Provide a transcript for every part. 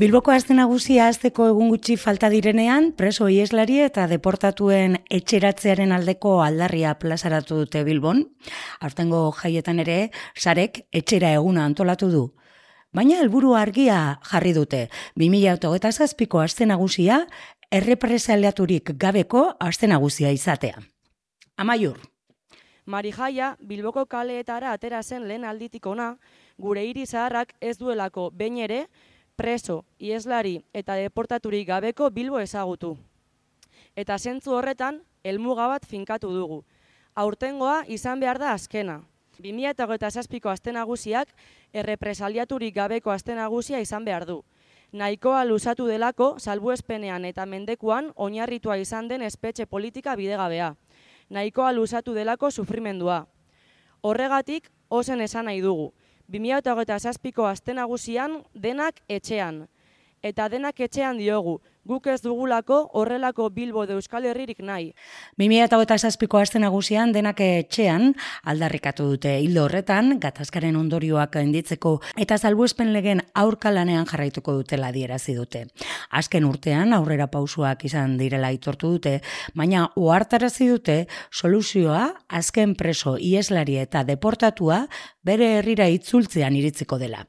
Bilboko aste nagusia hasteko egun gutxi falta direnean, preso ieslari eta deportatuen etxeratzearen aldeko aldarria plazaratu dute Bilbon. Aurtengo jaietan ere, sarek etxera eguna antolatu du. Baina helburu argia jarri dute, 2027ko aste nagusia errepresaliaturik gabeko aste nagusia izatea. Amaiur. Marijaia Bilboko kaleetara atera zen lehen alditik ona, gure hiri zaharrak ez duelako behin ere, preso, ieslari eta deportaturik gabeko Bilbo ezagutu. Eta zentzu horretan, helmuga bat finkatu dugu. Aurtengoa izan behar da azkena. 2027ko aste nagusiak errepresaliaturik gabeko aste nagusia izan behar du. Nahikoa luzatu delako salbuespenean eta mendekuan oinarritua izan den espetxe politika bidegabea. Nahikoa luzatu delako sufrimendua. Horregatik, ozen esan nahi dugu. 2027ko aste nagusian denak etxean. Eta denak etxean diogu, guk ez dugulako horrelako Bilbo de Euskal Herririk nahi. 2027ko aste nagusian denak etxean aldarrikatu dute. Hildo horretan, gatazkaren ondorioak gainditzeko eta salbuespen legen aurka lanean jarraituko dutela adierazi dute. Azken urtean aurrera pausuak izan direla aitortu dute, baina ohartarazi dute soluzioa azken preso, ieslari eta deportatua bere herrira itzultzean iritziko dela.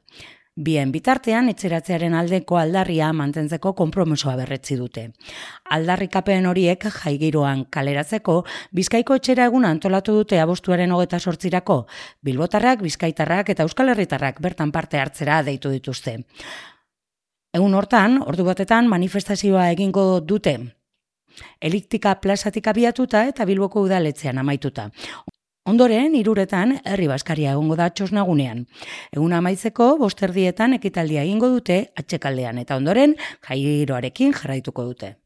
Bien bitartean, etxeratzearen aldeko aldarria mantentzeko konpromisoa berretzi dute. Aldarrikapen horiek jaigiroan kaleratzeko, Bizkaiko etxera eguna antolatu dute abuztuaren 28-rako. Bilbotarrak, bizkaitarrak eta euskal herritarrak bertan parte hartzera deitu dituzte. Egun hortan, ordu batetan manifestazioa egingo dute. Eliptika plazatik abiatuta eta Bilboko udaletxean amaituta. Ondoren, 3:00 herri baskaria egongo da txosnagunean. Eguna amaitzeko, 5:00 ekitaldia egingo dute atxekaldean eta ondoren jaigiroarekin jarraituko dute.